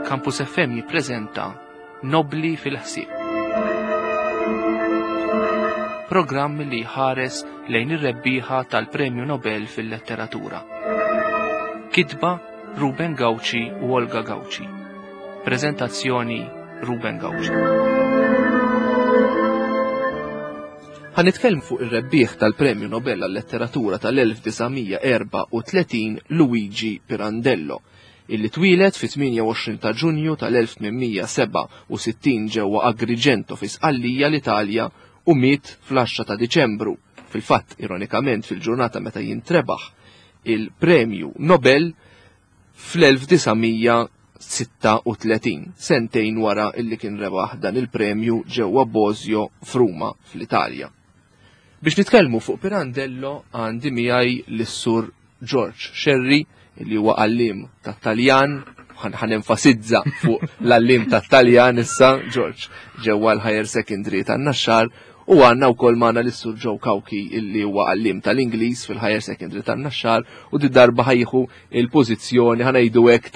Campus FM jippreżenta Nobli fil-ħsieb. Programm li jħares lejn ir-rebbieħa tal-Premju Nobel fil-Letteratura. Kitba Ruben Gauci u Olga Gauci. Preżentazzjoni Ruben Gauci. Ħa nitkellmu fuq ir-rebbieħ tal-Premju Nobel għal-Letteratura tal-1934 Luigi Pirandello, illi twieled fit-28 ta' Ġunju tal-1867 ġewwa Agrigento fi Sqallija l-Italja u miet fl-10 ta' Diċembru, fil-fatt ironikament fil-ġurnata meta jintrebaħ il-Premju Nobel fl-1936, sentejn wara illi kien rebaħ dan il-premju ġewwa Bosio f'Ruma fl-Italja. Biex nitkellmu fuq Pirandello għandi miegħi lis-Sur George Scerri li huwa għalliem tat-Taljan, ħan enfasizza fuq l-għalliem tat-Taljan issa, George, ġewwa l-Higher Secondary tan-Naxxar, u għandna wkoll magħna lis-Sur Joe Cauchi illi huwa għalliem tal-Ingliż fil-Higher Secondary tan-Naxxar u di darba ħajħu il-pożizzjoni ħanejdu hekk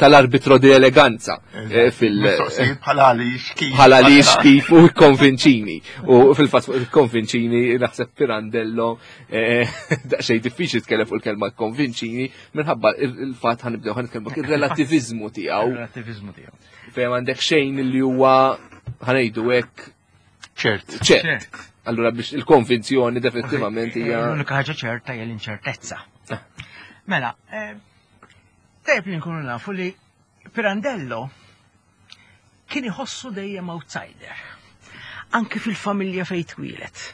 tal-arbitro di eleganza eh, fil bħala għaliex kif. Bħala għaliex kif u konvinċini. U fil-fatt fuq konvinċini naħseb Pirandello eh, daqsxejn diffiċli tkellem fuq il-kelma konvinċini minħabba il-fatt ħanibdew ħanitkellmu ir-relativizmu tiegħu. Relativizmu tiegħu. Fejn għandek xejn li huwa ħanejdu hekk ċert. ċert. Allura biex il-konvinzjoni definitivament hija. L-unika ħaġa ċerta hija l-inċertezza. Ah. Mela, eh, tajjeb li nkunu nafu li Pirandello kien iħossu dejjem outsider. Anki fil-familja fejn twieled.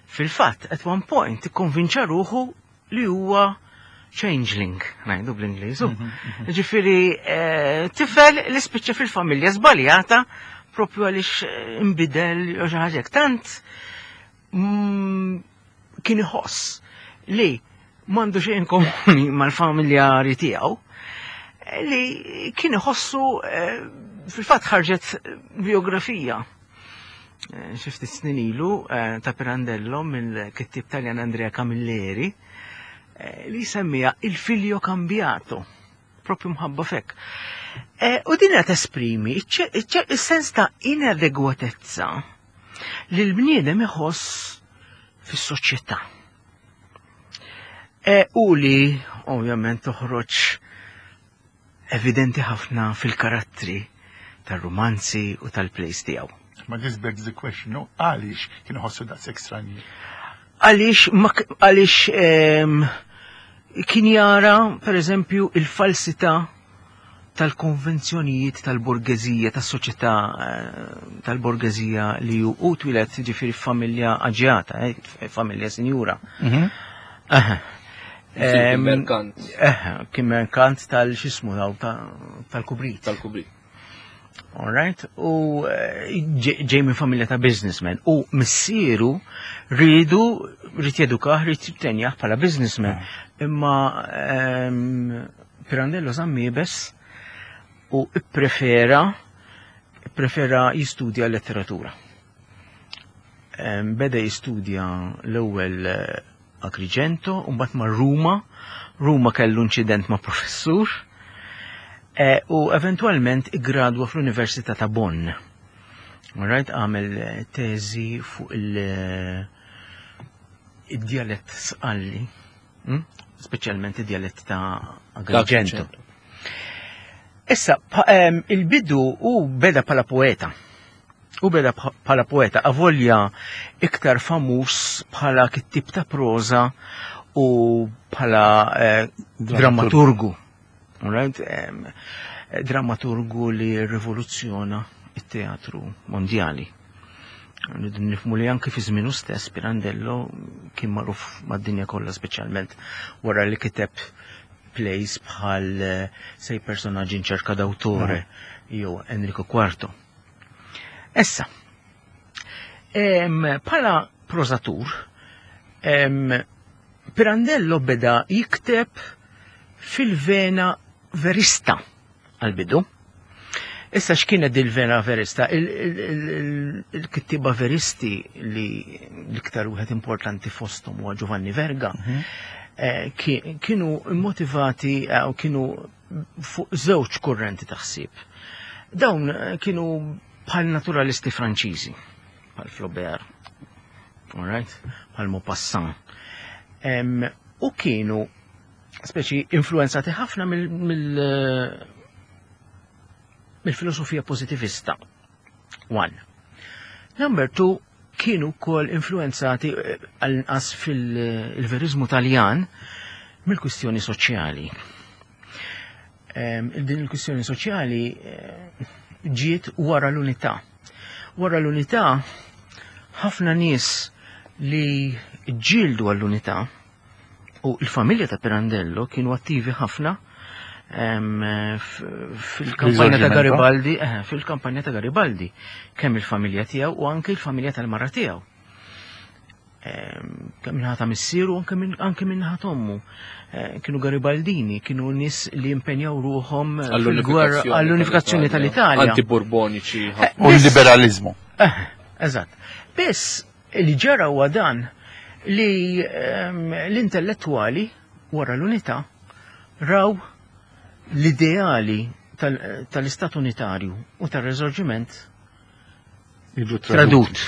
Fil-fatt, at one point, ikkonvinċa ruħu li huwa changeling, ngħidu bl-Ingliż. Mhm, mhm. Ġifieri eh, tifel li spiċċa fil-familja żbaljata propju għaliex eh, imbidel jew xi ħaġa Tant mm, kien iħoss li m'għandu xejn komuni mal-familjari tiegħu li kien iħossu eh, fil-fatt ħarġet biografija eh, xi ftit snin ilu eh, ta' Pirandello mill-kittib Taljan Andrea Camilleri li semmija Il-Figlio Cambiato propju mħabba fek. U din qed esprimi is-sens ta' inadegwatezza li l-bniedem iħoss fis-soċjetà. E, u li ovvjament toħroġ evidenti ħafna fil-karattri tar-rumanzi u tal-plays tiegħu. Ma this begs the question, no? Għaliex kien ħossu daqshekk stranji? Għaliex għaliex ehm, kien jara, per eżempju, il-falsità tal-konvenzjonijiet tal-borgeżija, tas-soċjetà eh, tal-borgeżija li hu twieled ġifieri f'familja aġjata, eh, familja sinjura. Mhm. Kien merkant. Eh, kien merkant tal-xismu tal-kubrit. Tal-kubrit. All right, u eh, ġej minn familja ta' businessman u missieru rridu rrid jedukah, rrid jittenjah bħala businessman. Ah. Imma ehm, Pirandello żamm iebes u ipprefera prefera jistudja letteratura. Ehm, beda jistudja l-ewwel eh, Agrigento, u mbagħad ma' Ruma. Ruma kellu inċident ma' professur eh, u eventwalment iggradwa fl-Università ta' Bonn. Right, għamel eh, teżi fuq il-djalett sqalli Hmm? Speċjalment id-djalett ta' Agrigento. Issa, il-bidu u beda bħala poeta. U beda bħala poeta, avolja iktar famuż bħala kittib ta' proza u bħala eh, dramaturgu. Right? Dramaturgu li rivoluzzjona it-teatru mondjali. Rridu nifmu li anki fi żmienu stess Pirandello kien magħruf mad-dinja kollha speċjalment wara li kiteb plays bħal eh, Sei personaggi in cerca d'autore jew Enrico Quarto. Issa, bħala prosatur, Pirandello beda jikteb fil-vena verista għal-bidu. Issa x'kienet il-vena verista? Il-kittiba veristi li l-iktar wieħed importanti fosthom huwa Giovanni Verga, mhm. eh, kienu motivati eh, u kienu fuq żewġ kurrenti ta' ħsieb. Dawn eh, kienu bħal naturalisti Franċiżi, bħal Flaubert, all right? bħal Maupassant. U kienu speċi influenzati ħafna mill-filosofija pozitivista. One. Number two, kienu wkoll influenzati eh, għal-inqas fil-verizmu Taljan mill-kwistjoni soċjali. Din il-kwistjoni soċjali eh, ġiet wara l-unità. Wara l-unità, ħafna nies li ġildu għall-unità u l-familja ta' Pirandello kienu attivi ħafna fil-kampanja ta' Garibaldi, eh, fil-kampanja ta' Garibaldi, kemm il-familja tiegħu u anke il-familja tal-mara tiegħu. Kemm minħata missieru anke minħata ommu. Eh, kienu Garibaldini, kienu nies li impenjaw ruħhom fil-gwerra għall-unifikazzjoni tal-Italja. Antiburboniċi. Eh, u l-liberalizmu. Eżatt. Biss li ġara huwa dan li l-intellettwali wara l-unità raw l-ideali tal-Istat Unitarju u tal-Resorġiment tradut.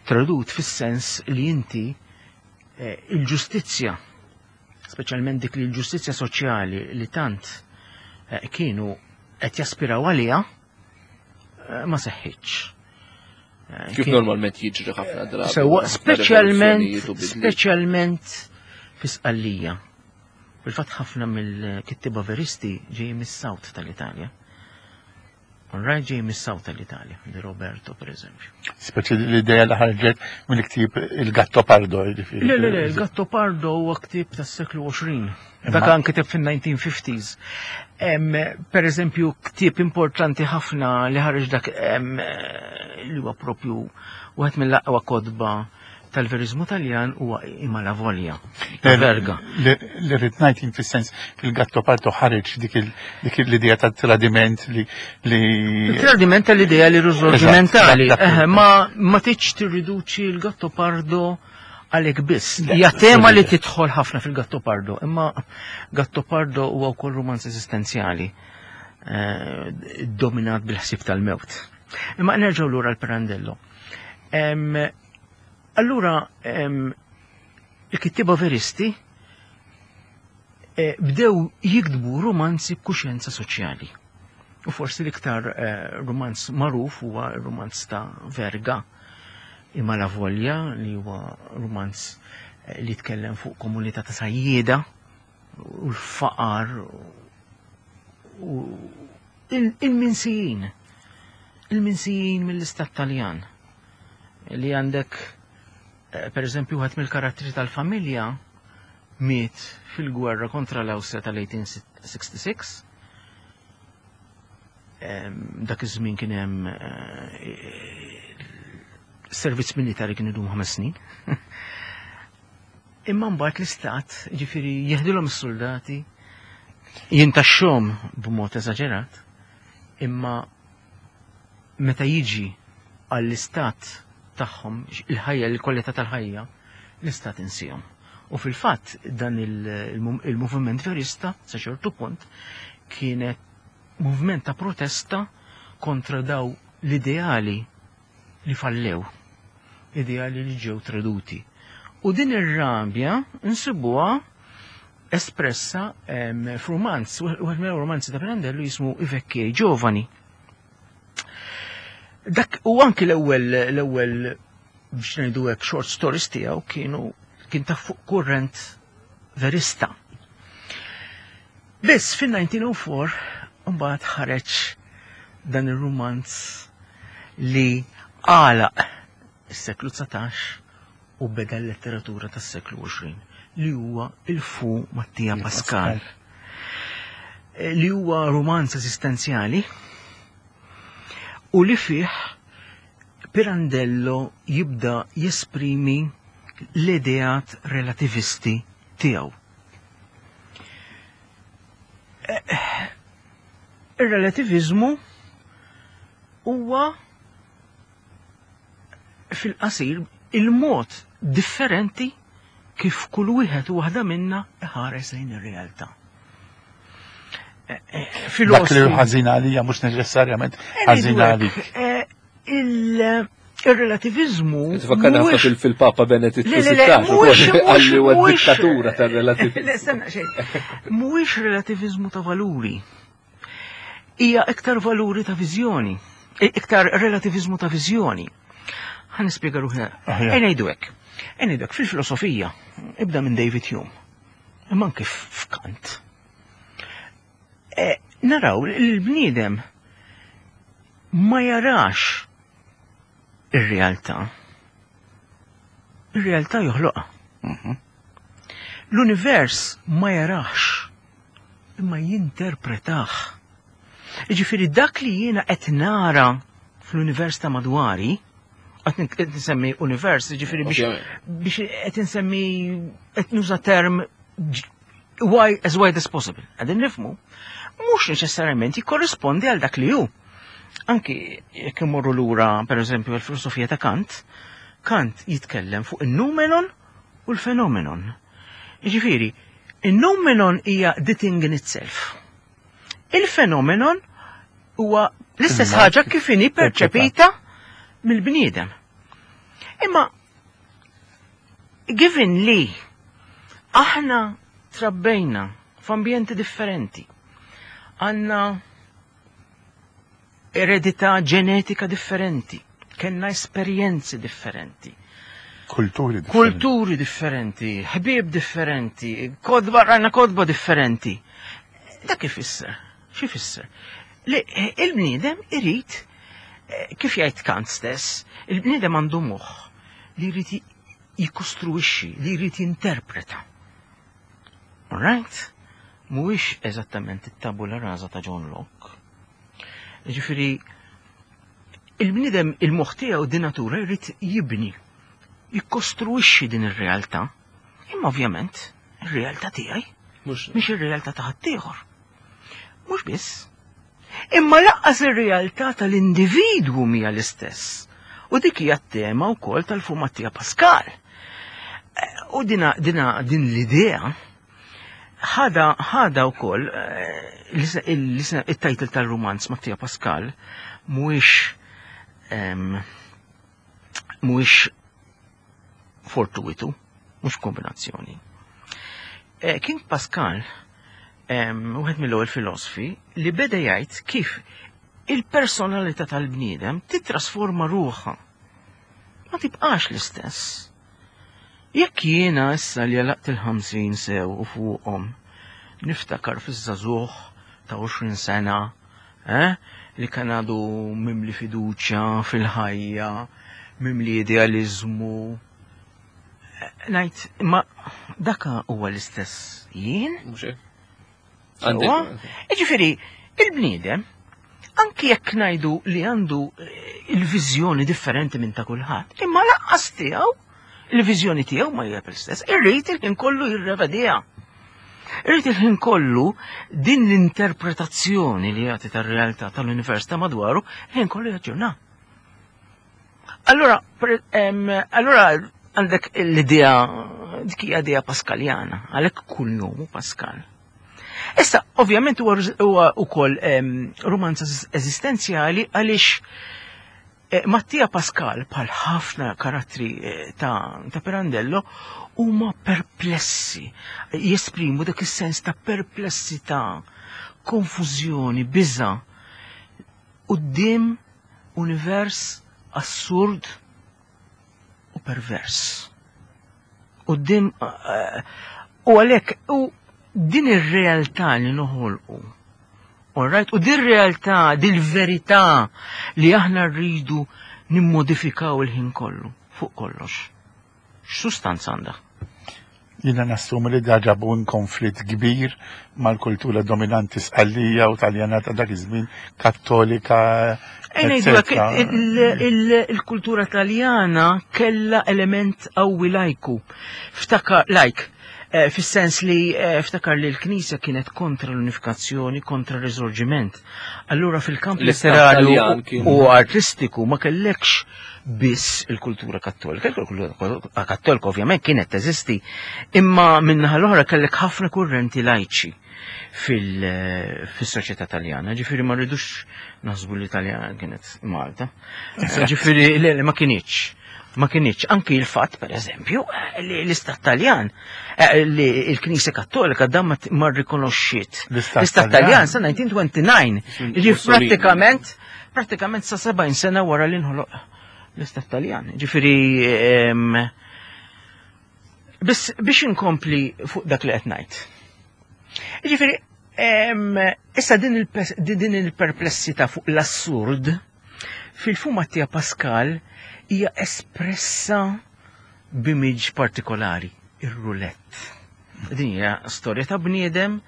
Tradut fis-sens li inti eh, il-ġustizzja, speċjalment dik li l-ġustizzja soċjali li tant eh, kienu qed jaspiraw għaliha, eh, ma seħħitx. Kif normalment jiġri ħafna drabi. Sewwa, speċjalment speċjalment fi Sqallija. Fil-fatt ħafna mill-kittiba veristi ġej mis-South tal-Italja. Right ġej mis-South tal-Italja, di Roberto per eżempju. Speċi l-idea li ħarġet mill-ktieb il-Gatto Pardo. Le, le, le, il-Gatto Pardo huwa ktieb tas-seklu 20. Dak anke ktieb fin-1950s. Per eżempju, ktieb importanti ħafna li ħareġ dak li huwa propju wieħed mill-aqwa kotba tal-verizmu Taljan huwa Imma la Volja. Verga. Li rrid ngħid fis-sens fil-Gatto Pardo ħareġ dik l-idea ta' tradiment li. Tradiment tal-idea li risorgimentali. Ma ma tiġ tirriduċi l-Gatto Pardo għalhekk biss. Hija tema li tidħol ħafna fil-Gattopardo, imma Gattopardo huwa wkoll romanz eżistenzjali eh, dominat bil-ħsieb tal-mewt. Imma nerġgħu lura l-Pirandello. Allura, il-kittiba veristi eh, bdew jiktbu romanzi b'kuxjenza soċjali. U forsi l-iktar eh, romanz magħruf huwa r-romanz ta' Verga, Imma la Volja, li huwa romanz eh, li tkellem fuq komunità ta' sajjieda u l-faqar u il-minsijin. Il-minsijin mill-istat Taljan li għandek eh, per eżempju wieħed mill-karattri tal-familja miet fil-gwerra kontra l-Awstrija tal-1866 Dak iż-żmien kien hemm eh, servizz militari kien idum ħames snin. Imma mbagħad l-istat, ġifieri jeħdilhom is-soldati, jintaxxhom b'mod eżaġerat, imma meta jiġi għall-istat tagħhom, il-ħajja, il-kwalità tal-ħajja, l-istat insihom. U fil-fatt dan il-moviment verista sa ċertu punt kienet moviment ta' protesta kontra daw l-ideali li fallew, ideali li ġew traduti. U din ir-rabja nsibuha espressa f'rumanz, wieħed mill-romanzi ta' Pirandello jismu I Vecchi e i Giovani. Dak u anki l-ewwel l-ewwel biex ngħidu hekk short stories tiegħu kienu kien ta' fuq kurrent verista. Biss fin-1904 mbagħad ħareġ dan ir-rumanz li għalaq is-seklu 19 u beda l-letteratura tas-seklu 20 li huwa il-Fu Mattia Pascal. Eh, li huwa rumanz esistenzjali u li fih Pirandello jibda jesprimi l-ideat relativisti tiegħu. Ir-relativizmu huwa fil-qasir il-mod differenti kif kull wieħed u waħda minna iħares lejn ir-realtà. Dak li ħażin għalija mhux neċessarjament ħażin għalik. Il-relativizmu. Tfakkarna ħafna fil-Papa Benedittu XVI, għalli huwa dittatura tar-relativizmu. Le, stenna xejn. Mhuwiex relativizmu ta' valuri. Hija iktar valuri ta' viżjoni. Iktar relativizmu ta' viżjoni. Ħa nispjega ruħna. Ejja ngħidu hekk. Ejja ngħidu hekk fil-filosofija, ibda minn David Hume. Imma anke f'Kant. Naraw li l-bniedem ma jarax ir-realtà. Ir-realtà joħloqha. L-univers ma jarax, imma jinterpretah. Jiġifieri dak li jiena qed nara fl-univers ta' madwari, qed nsemmi univers, jiġifieri biex qed insemmi qed nuża term wide, as wide as possible. Qegħdin nifhmu, mhux neċessarjament jikkorrispondi għal dak li hu. Anki jekk imorru lura, per eżempju, l-filosofija ta' Kant, Kant jitkellem fuq il-noumenon u l-phenomenon. Jiġifieri, il-noumenon hija the thing in itself. Il-phenomenon huwa l-istess ħaġa kif inhi perċepita mill-bniedem. Imma given li aħna trabbejna f'ambjenti differenti, għandna eredità ġenetika differenti, kellna esperjenzi differenti. Kulturi differenti. Kulturi differenti, ħbieb differenti, kotba, rajna kotba differenti. Dak ifisser, x'ifisser? Li il-bniedem irid, kif jgħid Kant stess, il-bniedem għandu moħħ li jrid jikkostruixxi, li jrid jinterpreta. All right? Mhuwiex eżattament it-tabula rasa ta' John Locke. Ġifieri, il-bniedem il-moħħ tiegħu di natura jrid jibni, jikkostruixxi din ir-realtà. Imma ovvjament, ir-realtà tiegħi mhix ir-realtà ta' ħaddieħor. Mhux biss. Imma lanqas ir-realtà tal-individwu mhija l-istess. U dik hija t-tema wkoll tal-Fu Mattia Pascal. U dina, dina din l-idea ħada ħada wkoll il-title tal-romanz Mattia Pascal mhuwiex mhuwiex fortuitu, mhux kombinazzjoni. Kien Pascal, wieħed mill-ewwel filosofi, li beda jgħid kif il-personalità tal-bniedem titrasforma ruħha. Ma tibqax l-istess. Jekk jiena issa li għalaqt il-50 sew u fuqhom niftakar fiż-żagħżugħ ta' 20 sena, li kien għadu mimli fiduċja fil-ħajja, mimli idealizmu, ngħid, imma daka huwa l-istess jien? Mhux hekk. Jiġifieri, il-bniedem, anki jekk ngħidu li għandu il-viżjoni differenti minn ta' kulħadd, imma lanqas tiegħu, il-viżjoni tiegħu ma hija l-istess, irrid il-ħin kollu jirrevediha. Irrid il-ħin kollu din l-interpretazzjoni li jagħti tar-realtà tal-univers ta' madwaru, il-ħin kollu jaġġorna. Allora, allora għandek l-idea, dik hija idea Paskaljana, għalhekk kull nomu Pascal. Issa, ovvjament huwa wkoll romanz eżistenzjali għaliex Mattia Pascal, bħal ħafna karattri ta' Pirandello, huma perplessi, jesprimu dak is-sens ta' perplessità, konfużjoni, biża' quddiem univers assurd u pervers. Quddiem u għalhekk u din ir-realtà li noħolqu. All right? U din realtà, din verità li aħna rridu nimmodifikaw il-ħin kollu, fuq kollox. X'sustanza għandha? Jiena nassumi li da ġabu konflitt kbir mal-kultura dominanti Sqallija u Taljana ta' dak iż-żmien, Kattolika. Il-kultura Taljana kella element qawwi lajku. Ftakar, lajk. Eh, fis-sens li eh, ftakar li l-Knisja kienet kontra l-unifikazzjoni, kontra r-riżorġiment. Allura fil-kamp letterarju u artistiku ma kellekx biss il-kultura kattolika. Il-kultura kattolika ovvjament kienet teżisti, imma minnaħa l-oħra kellek ħafna kurrenti lajċi fil-soċjetà taljana. Ġifieri ma rridux naħsbu li Taljana kienet Malta. Ġifieri le ma kienx. Ma kinitx anki l-fatt, per eżempju, li l-Istat Taljan, eh, li l-Knisja Kattolika dan ma rrikonoxxiet. L-Istat Taljan sa 1929, li prattikament prattikament sa 70 sena wara li nħoloq l-Istat Taljan. Ġifieri biss biex inkompli fuq dak li qed ngħid. Ġifieri issa din il-perplessità fuq l-assurd Fil-fu Mattia Pascal hija espressa b'image partikolari, ir-rulett. Din hija storja ta' bniedem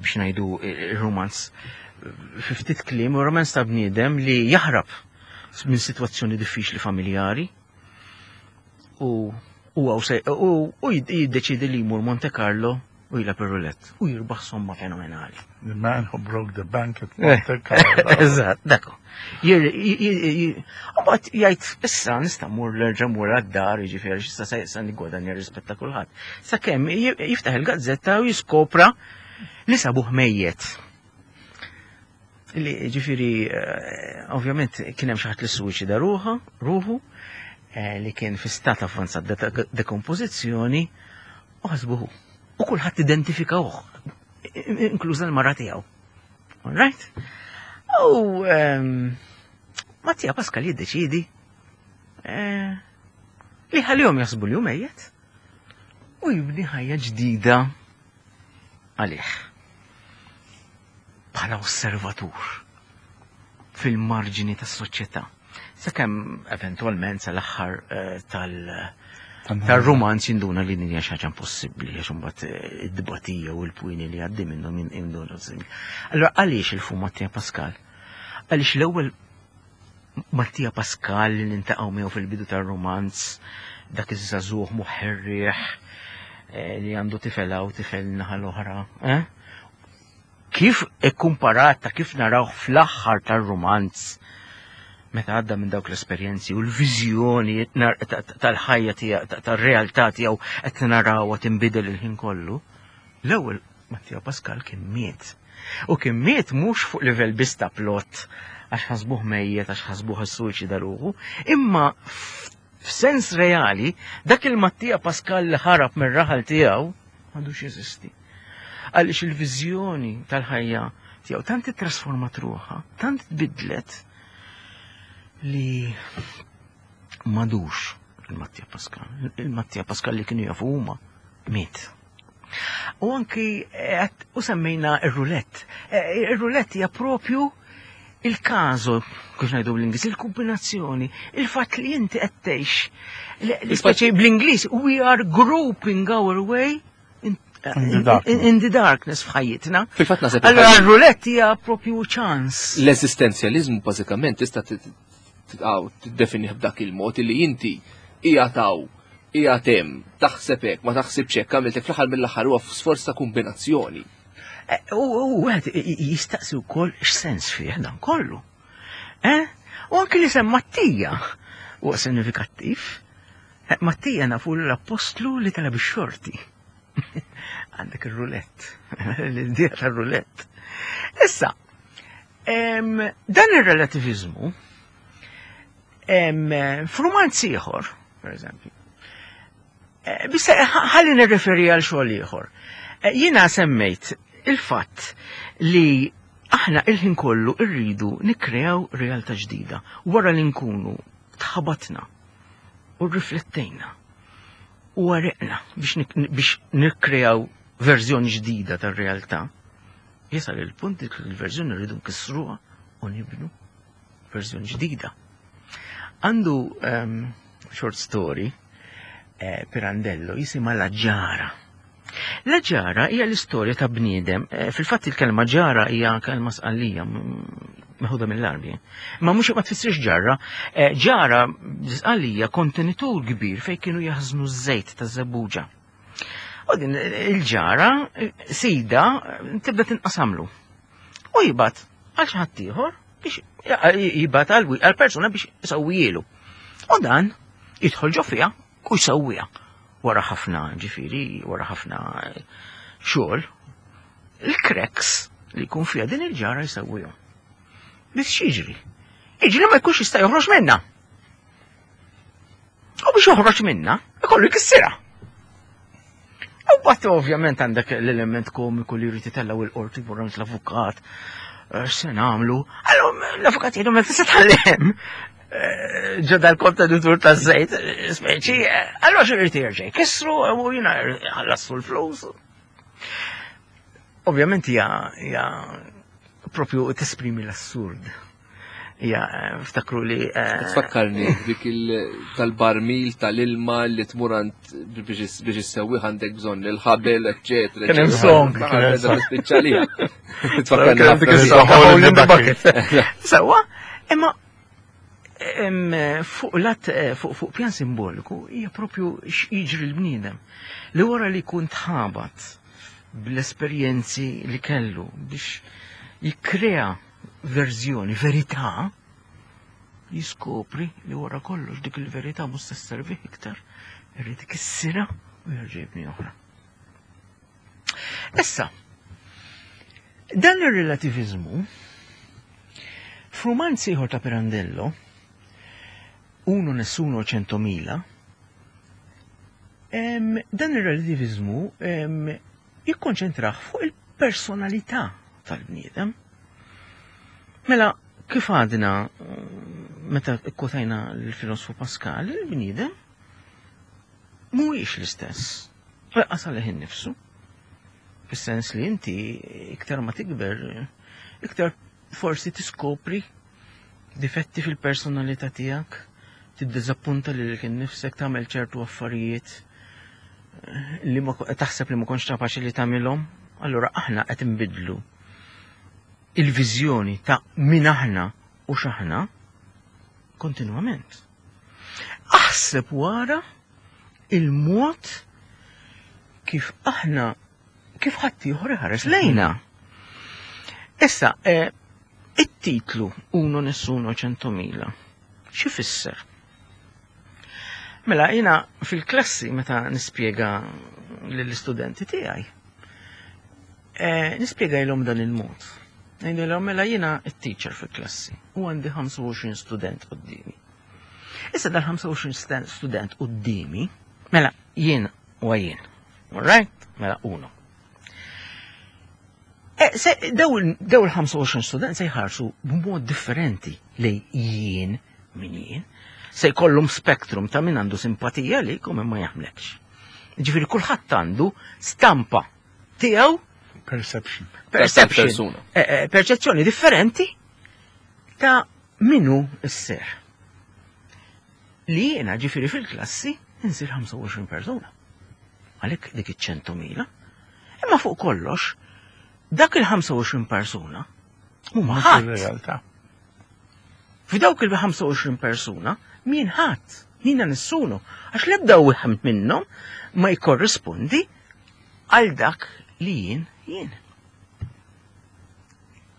biex ngħidu ir-romanz fi ftit kliem, romanz ta' bniedem li jaħrab minn sitwazzjoni diffiċli familjari u u u jiddeċidi li jmur Monte Carlo u jilgħab ir-roulette u jirbaħ somma fenomenali. The man who broke the bank at eh, Monte Carlo. Eżatt, dakku. Mbagħad jgħid issa nista' mmur l-erġa' mur għad-dar, jiġifieri x'issa se issa niggwadanja rispetta kulħadd. Sakemm jiftaħ il-gazzetta u jiskopra li sabuh mejjet. Li ġifiri, eh, ovvjament kien hemm xi ħadd li suwiċida ruħa, ruħu, eh, li kien fi stat avvanzat dekompożizzjoni u ħasbuhu. U kulħadd identifikawh, inkluża l-mara tiegħu. All right? U ehm, Mattia Pascal jiddeċidi eh, li ħalihom jaħsbu li hu mejjet u jibni ħajja ġdida għalih. Bħala osservatur fil-marġini tas-soċjetà. Sakemm eventwalment sal-aħħar eh, tal- tal-romanz jinduna li din hija xi ħaġa impossibbli għax imbagħad eh, id-dibatija u l-pwini li għaddi minnhom jinduna. Allora għaliex il-fu Mattia Pascal? Għaliex l-ewwel Mattia Pascal li nintaqgħu miegħu fil-bidu tar-romanz dak iż-żagħżugħ muħerrieħ eh, li għandu tifel hawn tifel naħa l-oħra. Eh? Kif ikkumparat ta' kif narawh fl-aħħar tar-rumanz meta għadda minn dawk l-esperjenzi u l-viżjoni tal-ħajja tiegħu tar-realtà tiegħu qed narawha tinbidel il-ħin kollu. L-ewwel Mattia Pascal kien miet. U kien miet mhux fuq livell biss ta' plot għax ħasbuh mejjet, għax ħasbuh issuwiċida ruħu, imma f'sens reali dak il-Mattia Pascal li ħarab mir-raħal tiegħu m'għadux jeżisti. Għaliex il-viżjoni tal-ħajja tiegħu tant ittrasformat ruħha, tant tbiddlet li madux il-Mattia Pascal. Il-Mattia Pascal li kienu jafu huma miet. U anki eh, u semmejna ir-rulett. Eh, ir-rulett hija propju il-kazu, kif ngħidu bl-Ingliż, il-kombinazzjoni, il-fatt li inti qed tgħix. L-ispeċi bl-Ingliż, we are groping our way in, in, the, in the darkness f'ħajjitna. Fil-fatt naħseb. Allora r-rulett hija propju ċans. L-eżistenzjaliżmu bażikament tista' tiddefinih b'dak il-mod li inti hija taw qiegħed hemm, taħseb hekk, ma taħsibx hekk, għamilt hekk fl-aħħar mill-aħħar huwa sforz ta' kombinazzjoni. Eh, u wieħed jistaqsi wkoll x'sens fih dan kollu. Eh? U anki li sem Mattija huwa sinifikattiv. Eh, Mattija nafu l-appostlu li tala bix-xorti. Għandek ir-rulett, l-idea tar-rulett. Issa, dan ir-relativizmu F'rumanz ieħor, per eżempju, eh, bissa ħalli nirreferi għal xogħol ieħor. Eh, jiena semmejt il-fatt li aħna il-ħin kollu rridu nikkreaw realtà ġdida wara li nkunu tħabatna u rriflettejna u għariqna biex nikkreaw verżjoni ġdida tar-realtà. Jasal il-punt li l-verżjoni rridu nkissruha u nibnu verżjoni ġdida. Għandu um, short story eh, Pirandello jisimha La Ġara. La ġara hija l-istorja ta' bniedem, eh, fil-fatt il-kelma ġara hija kelma sqallija meħuda mill-Arbi. Ma mhux ma tfissirx ġarra, eh, ġara sqallija kontenitur kbir fejn kienu jaħżnu ż-żejt ta' żebbuġa. U din il-ġara, sida, tibda tinqasamlu. U jibgħat għal xi ħadd ieħor biex jibgħat għal persuna biex isewwielu. U dan jidħol ġo fiha u jsewwiha. Wara ħafna ġifieri, wara ħafna xogħol, il-cracks li jkun fiha din il-ġara jsewwihom. Biss x'jiġri? Jiġri ma jkunx jista' joħroġ minnha. U biex joħroġ minnha, ikollu jkissirha. U bat ovvjament għandek l-element komiku li jrid itellgħu il-qorti jmur l-avukat, eh, x'se nagħmlu? Allora l-avukat jgħidu ma tista' tħallim. Eh, ġo dal-kontenitur ta' żejt, eh, speċi, allora xi jrid jerġa' jkissru u jiena ħallassu l-flus. Ovvjament hija propju tesprimi l-assurd. Ja, ftakru li. Eh, Tfakkarni dik tal-barmil tal-ilma li tmur għand biex issewwi għandek bżonn il-ħabel, eċetera. Kien hemm song. Speċjalija. Tfakkarni ħafna. Sewwa, imma fuq lat eh, fuq pjan simboliku hija propju x'jiġri l-bniedem li wara li jkun tħabat bl-esperjenzi li kellu biex jikkrea verżjoni, verità, jiskopri li wara kollox dik il-verità mhux se sservih iktar, irid ikissirha u jerġa' jibni oħra. Issa, dan ir-relativizmu f'rumanz ieħor ta' Pirandello, Uno Nessuno Centomila, dan ir-relativizmu jikkonċentrah fuq il-personalità tal-bniedem. Mela, kif għadna meta kwotajna l-filosfu Pascal, il-bniedem mhuwiex l-istess. Lanqas għalih innifsu. Fis-sens li inti iktar ma tikber, iktar forsi tiskopri difetti fil-personalità tiegħek, tiddiżappunta lilek innifsek, tagħmel ċertu affarijiet eh, li ma taħseb li ma kontx kapaċi li tagħmilhom, allura aħna qed inbidlu il-viżjoni ta' min aħna u x'aħna kontinwament. Aħseb wara il-mod kif aħna kif ħaddieħor iħares lejna. Issa, eh, it-titlu Uno Nessuno Centomila, xi fisser? Mela, jina fil-klassi meta nispjega lill-istudenti tiegħi, eh, nispjegajlhom dan il-mod. Ngħidilhom mela jiena t-teacher fil-klassi u għandi 25 student qudiemi. Issa dal-25 student qudiemi, mela jien u jien. All right? Mela uno. E, daw il-25 student se jħarsu b'mod differenti li jien min jien. Se jkollhom spektrum ta' min għandu simpatija li u min ma jaħmlekx. Ġifieri kulħadd għandu stampa tiegħu Perception. Perception. E, e, perċezzjoni differenti ta' minu s-ser. Li jiena ġifieri fil-klassi insir 25 persuna. Għalhekk dik iċ-ċentumila. Imma fuq kollox, dak il-25 persuna huma ħadd. realtà. F'dawk il-25 persuna min ħadd, min nissunu, għax l-ebda wieħed minnhom ma jkorrispondi għal dak li jien jien.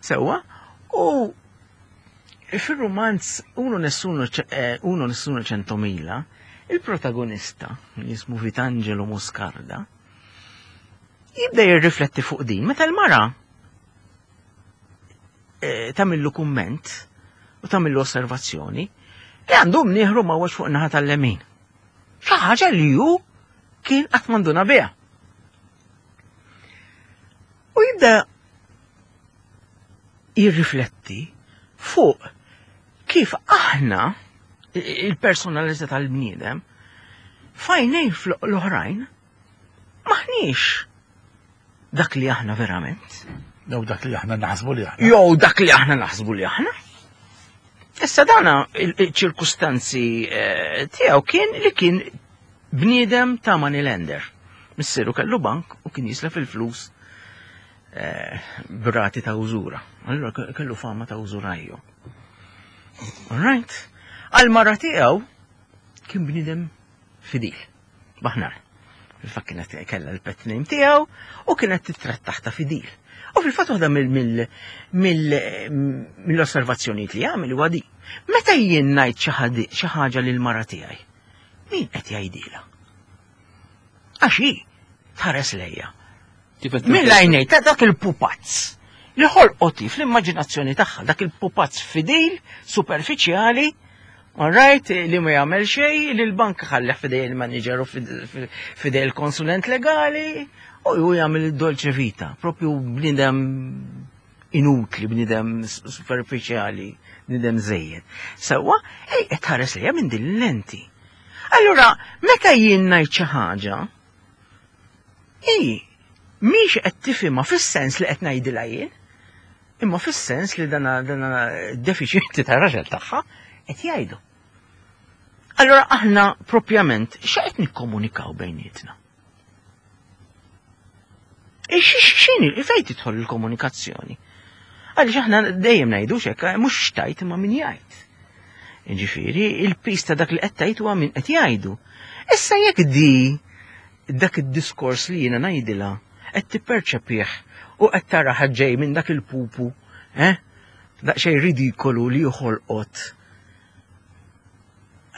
Sewwa, u fir-rumanz Uno Nessuno eh, Uno Nessuno Centomila, il-protagonista, li jismu Vitangelo Moscarda, jibda jirrifletti fuq din meta l-mara eh, tagħmillu kumment u tagħmillu osservazzjoni li għandu mnieħru mawwaġ fuq naħa tal-lemin. Xi ħaġa li hu kien qatt m'għanduna biha. U jibda jirrifletti fuq kif aħna il-personalità tal-bniedem fajnej l-oħrajn maħniex dak li aħna verament. Jew dak li aħna naħsbu li aħna. Jew dak li aħna naħsbu li aħna. Issa dana il-ċirkustanzi eh, tiegħu kien li kien bniedem ta' money lender. Missieru kellu bank u kien jislef il-flus eh, b'rati ta' użura. Allura kellu fama ta' użurajju. All right. Għal mara tiegħu kien bniedem fidil. Baħnar. Fil-fatt kienet kellha l-pet name tiegħu u kienet titrattaħ ta' fidil. U fil-fatt waħda mill-osservazzjonijiet li jagħmel huwa di. Meta jien ngħid xi ħaġa lil mara tiegħi, min qed jgħidilha? Għax hi tħares lejja. Mill-għajnej ta' dak il-pupazz li ħolqoti fl-immaġinazzjoni tagħha, dak il-pupazz fidil, superfiċjali, all right, li ma jagħmel xejn, li l-bank ħalleh fidej il-manager u fidej il-konsulent legali, u ju jagħmel il-dolce vita, propju bniedem inutli, bniedem superfiċjali, bniedem żejjed. Sewwa, ej qed tħares lejha minn din l-lenti. Allura, meta jien ngħid xi ħaġa, hi mhix qed tifhimha fis-sens li qed ngħidilha jien, imma fis-sens li dana dana defiċjenti tar-raġel tagħha qed jgħidu. Allura aħna propjament x'qed nikkomunikaw bejnietna? X'inhi fejn tidħol il-komunikazzjoni? Għaliex aħna dejjem ngħidu x'hekk, eh, mhux xtajt imma min jgħid. Ġifieri, il-pis ta' dak li qed tgħid huwa min qed jgħidu. Issa jekk di dak id-diskors li jiena ngħidilha qed tipperċepih u qed tara ġej minn dak il-pupu, eh? Daqsxejn ridikolu li joħolqot.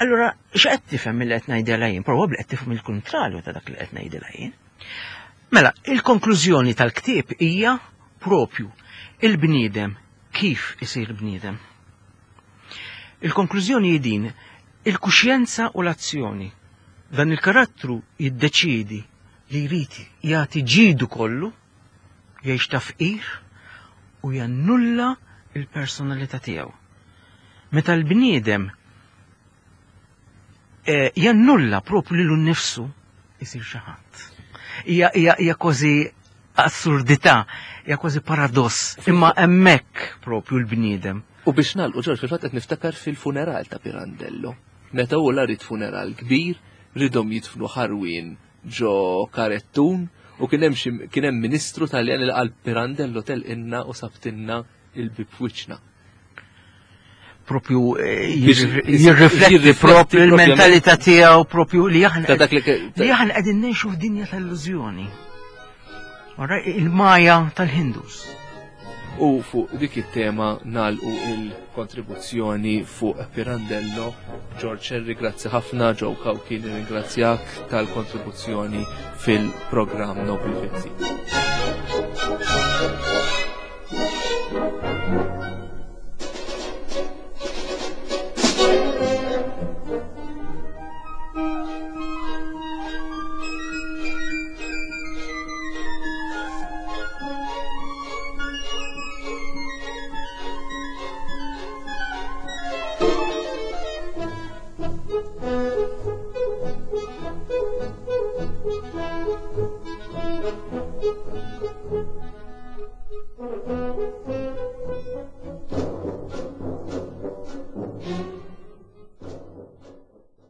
Allura, x'qed tifhem mill qed ngħidilha jien? Probabbli qed tifhem il-kuntrarju ta' dak li qed ngħidilha jien. Mela, il-konklużjoni tal-ktieb hija propju il-bniedem kif isir bniedem. Il-konklużjoni hi din, il-kuxjenza u l-azzjoni. Dan il-karattru jiddeċiedi li jrid jagħti ġidu kollu, jgħix ta' fqir u jannulla il-personalità tiegħu. Meta l-bniedem eh, jannulla propju lilu nnifsu isir xi ħadd. Hija hija hija kważi assurdità, hija kważi paradoss, imma hemmhekk propju l-bniedem. U biex nagħlqu Ġorġ fil-fatt qed niftakar fil-funeral ta' Pirandello. Meta hu la rid funeral kbir, ridhom jidfnu ħarwien ġo karettun u kien hemm kien hemm ministru Taljan li qal Pirandello telqinna u sabtinna il-bib f'wiċċna. Propju eh, jirrifletti propju il-mentalità tiegħu propju li aħna li aħna qegħdin ngħixu f'dinja tal-illużjoni. Il-maja tal-Hindus. U fuq dik it-tema nalqu il-kontribuzzjoni fuq Pirandello. George Sherry, grazzi ħafna, Joe Cauchi, nirringrazzjak tal-kontribuzzjoni fil-programm Nobli Vizzi.